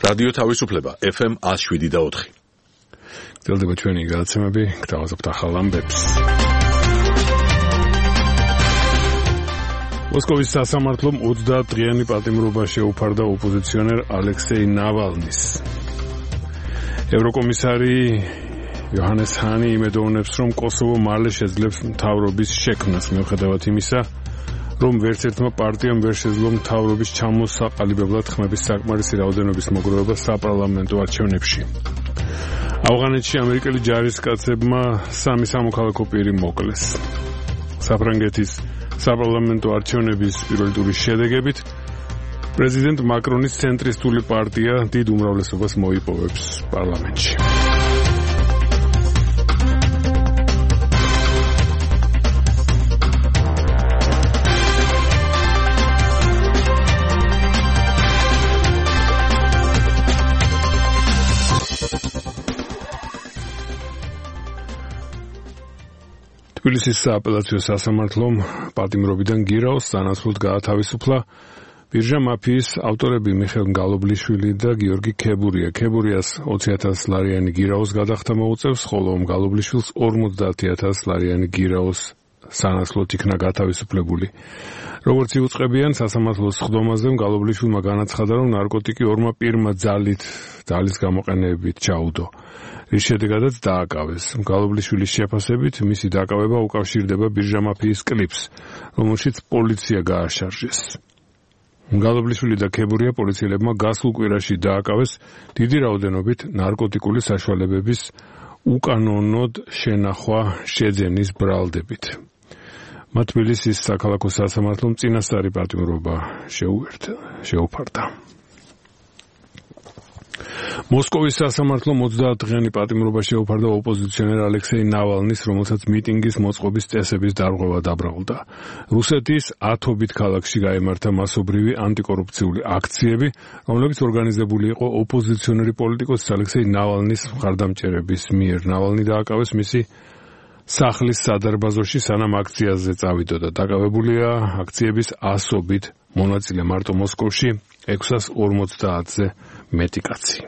რადიო თავისუფლება FM 107.4. გრძელდება ჩვენი გადაცემები, გთავაზობთ ახალ ამბებს. მოსკოვის სასამართლომ 30 დღიანი პატიმრობა შეუფარდა ოპოზიციონერ ალექსეი ნავალნის. ევროკომისარი იოჰანეს ჰანი იმედოვნებს, რომ კოსოვო მალე შეძლებს მთავრობის შექმნას, მიუხედავად იმისა, რომ ვერც ერთმა პარტიამ ვერ შეძლო მთავრობის ჩამოსაყალიბებლად ხმების საკმარისი რაოდენობის მოგროვება საპარლამენტო არჩევნებში. ავღანეთში ამერიკელი ჯარისკაცებმა 3 სამოქალაქო პირი მოკლეს. საფრანგეთის საპარლამენტო არჩევნების პირველი ტურის შედეგებით პრეზიდენტ მაკრონის ცენტრისტული პარტია დიდ უმრავლესობას მოიპოვებს პარლამენტში. თბილისის სააპელაციო სასამართლომ პატიმრობიდან გირაოს სანაცვლოდ გაათავისუფლა ბირჟა მაფიის ავტორები მიხეილ გალობლიშვილი და გიორგი ქებურია. ქებურიას 20,000 ლარიანი გირაოს გადახდა მოუწევს, ხოლო გალობლიშვილს 50,000 ლარიანი გირაოს სანაცვლოდ იქნა გათავისუფლებული. როგორც იუწყებიან სასამართლოს სხდომაზე, გალობლიშვილმა განაცხადა, რომ ნარკოტიკი ორმა პირმა ძალის გამოყენებით ჩაუდო. რის შედეგადაც დააკავეს. გალობლიშვილის შეფასებით მისი დაკავება უკავშირდება ბირჟა მაფიის კლიპს, რომელშიც პოლიცია გააშარჟეს. გალობლიშვილი და ქებურია პოლიციელებმა გასულ კვირაში დააკავეს დიდი რაოდენობით ნარკოტიკული საშუალებების უკანონოდ შენახვა შეძენის ბრალდებით. მათ თბილისის საქალაქო სასამართლომ წინასწარი პატიმრობა შეუფარდა. მოსკოვის სასამართლომ 30 დღიანი პატიმრობა შეუფარდა ოპოზიციონერ ალექსეი ნავალნის, რომელსაც მიტინგის მოწყობის წესების დარღვევა დაბრალდა. რუსეთის 10-ობით ქალაქში გაიმართა მასობრივი ანტიკორუფციული აქციები, რომლებიც ორგანიზებული იყო ოპოზიციონერი პოლიტიკოს ალექსეი ნავალნის მხარდამჭერების მიერ. ნავალნი დააკავეს მისი სახლის სადარბაზოში, სანამ აქციაზე წავიდოდა. დაკავებულია აქციების 100-ობით მონაწილე, მარტო მოსკოვში 650-ზე მეტი კაცი.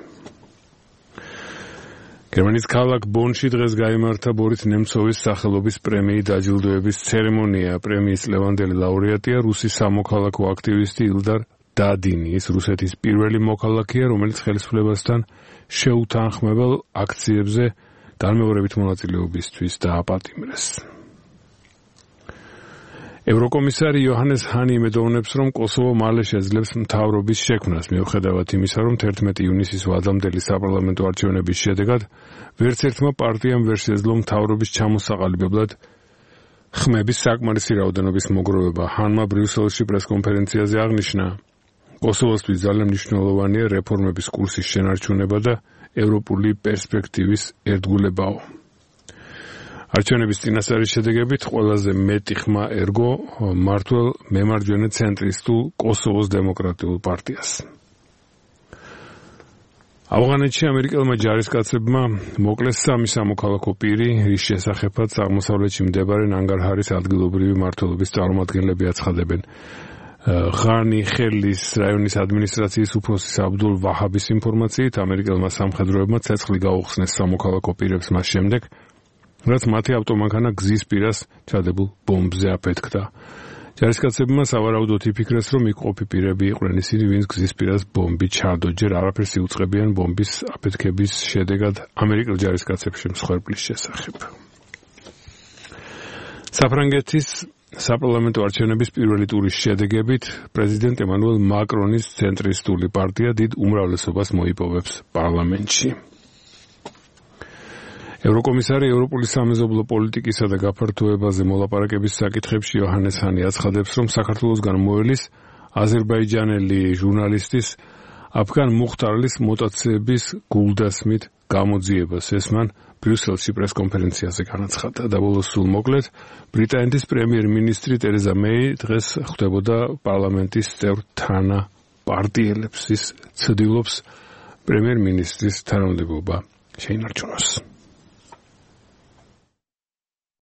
გერმანიის ქალაქ ბონში დღეს გაიმართა ბორის ნემცოვის სახელობის პრემიის დაჯილდოების ცერემონია. პრემიის ლევანდელი ლაურეატია რუსი სამოქალაქო აქტივისტი ილდარ დადინი. ის რუსეთის პირველი მოქალაქეა, რომელიც ხელისუფლებასთან შეუთანხმებელ აქციებზე განმეორებით მონაწილეობისთვის დააპატიმრეს. ევროკომისარი იოჰანეს ჰანი იმედოვნებს, რომ კოსოვო მალე შეძლებს მთავრობის შექმნას, მიუხედავად იმისა, რომ 11 ივნისის ვადამდელი საპარლამენტო არჩევნების შედეგად ვერც ერთმა პარტიამ ვერ შეძლო მთავრობის ჩამოსაყალიბებლად ხმების საკმარისი რაოდენობის მოგროვება. ჰანმა ბრიუსელში პრესკონფერენციაზე აღნიშნა, კოსოვოსთვის ძალიან მნიშვნელოვანია რეფორმების კურსის შენარჩუნება და ევროპული პერსპექტივის ერთგულებაო. არჩევნების წინასწარი შედეგებით ყველაზე მეტი ხმა ერგო მართლ მემარჯვენე ცენტრისტულ კოსოვოს დემოკრატიულ პარტიას. ავღანეთში ამერიკელმა ჯარისკაცებმა მოკლეს 3 სამოქალაქო პირი, რის შესახებაც აღმოსავლეთში მდებარე ნანგარჰარის ადგილობრივი მმართველობის წარმომადგენლები აცხადებენ. ღანი ხელის რაიონის ადმინისტრაციის უფროსის აბდულ ვაჰაბის ინფორმაციით, ამერიკელმა სამხედროებმა ცეცხლი გაუხსნეს სამოქალაქო პირებს მას შემდეგ, რაც მათი ავტომანქანა გზის პირას ჩადებულ ბომბზე აფეთქდა. ჯარისკაცებმა სავარაუდოდ იფიქრეს, რომ იქ ყოფი პირები იყვნენ ისინი, ვინც გზის პირას ბომბი ჩადო. ჯერ არაფერს იუწყებიან ბომბის აფეთქების შედეგად ამერიკელ ჯარისკაცებში მსხვერპლის შესახებ. საფრანგეთის საპარლამენტო არჩევნების პირველი ტურის შედეგებით პრეზიდენტ ემანუელ მაკრონის ცენტრისტული პარტია დიდ უმრავლესობას მოიპოვებს პარლამენტში. ევროკომისარი ევროპული სამეზობლო პოლიტიკისა და გაფართოებაზე მოლაპარაკების საკითხებში იოჰანეს ჰანი აცხადებს, რომ საქართველოსგან მოელის აზერბაიჯანელი ჟურნალისტის აფგან მუხტარლის მუტაციების გულდასმით გამოძიებას. ეს მან ბრიუსელში პრესკონფერენციაზე განაცხადა. და ბოლოს სულ მოკლედ, ბრიტანეთის პრემიერ-მინისტრი ტერეზა მეი დღეს ხვდებოდა პარლამენტის წევრ თანაპარტიელებს. ის ცდილობს პრემიერ-მინისტრის თანამდებობა შეინარჩუნოს.